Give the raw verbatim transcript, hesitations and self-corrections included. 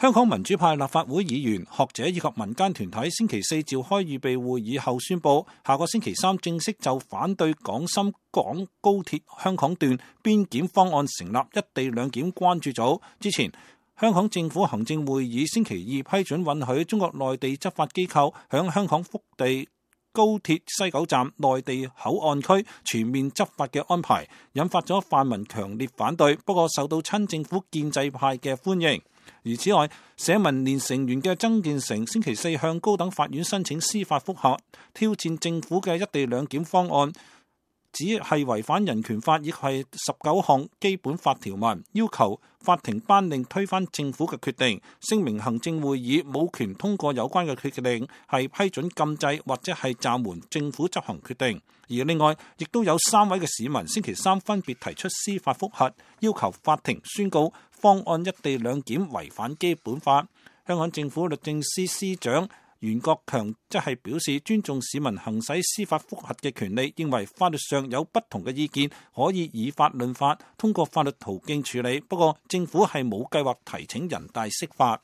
香港民主派立法會議員、學者以及民間團體星期四召開預備會議後宣布，下個星期三正式就反對廣深港高鐵香港段邊檢方案成立一地兩檢關注組。之前，香港政府行政會議星期二批准允許中國內地執法機構響香港腹地高鐵西九站內地口岸區全面執法嘅安排，引發咗泛民強烈反對，不過受到親政府建制派嘅歡迎。而此外，社民連成員嘅曾建成星期四向高等法院申請司法覆核，挑戰政府嘅一地兩檢方案，只係違反人權法，亦係十九項基本法條文，要求法庭頒令推翻政府嘅決定，聲明行政會議冇權通過有關嘅決定，係批准禁制或者係暫緩政府執行決定。而另外，亦都有三位嘅市民星期三分別提出司法覆核，要求法庭宣告方案一地兩檢違反基本法。香港政府律政司司長袁國強則係表示尊重市民行使司法覆核嘅權利，認為法律上有不同嘅意見可以以法論法，通過法律途徑處理。不過政府係冇計劃提請人大釋法。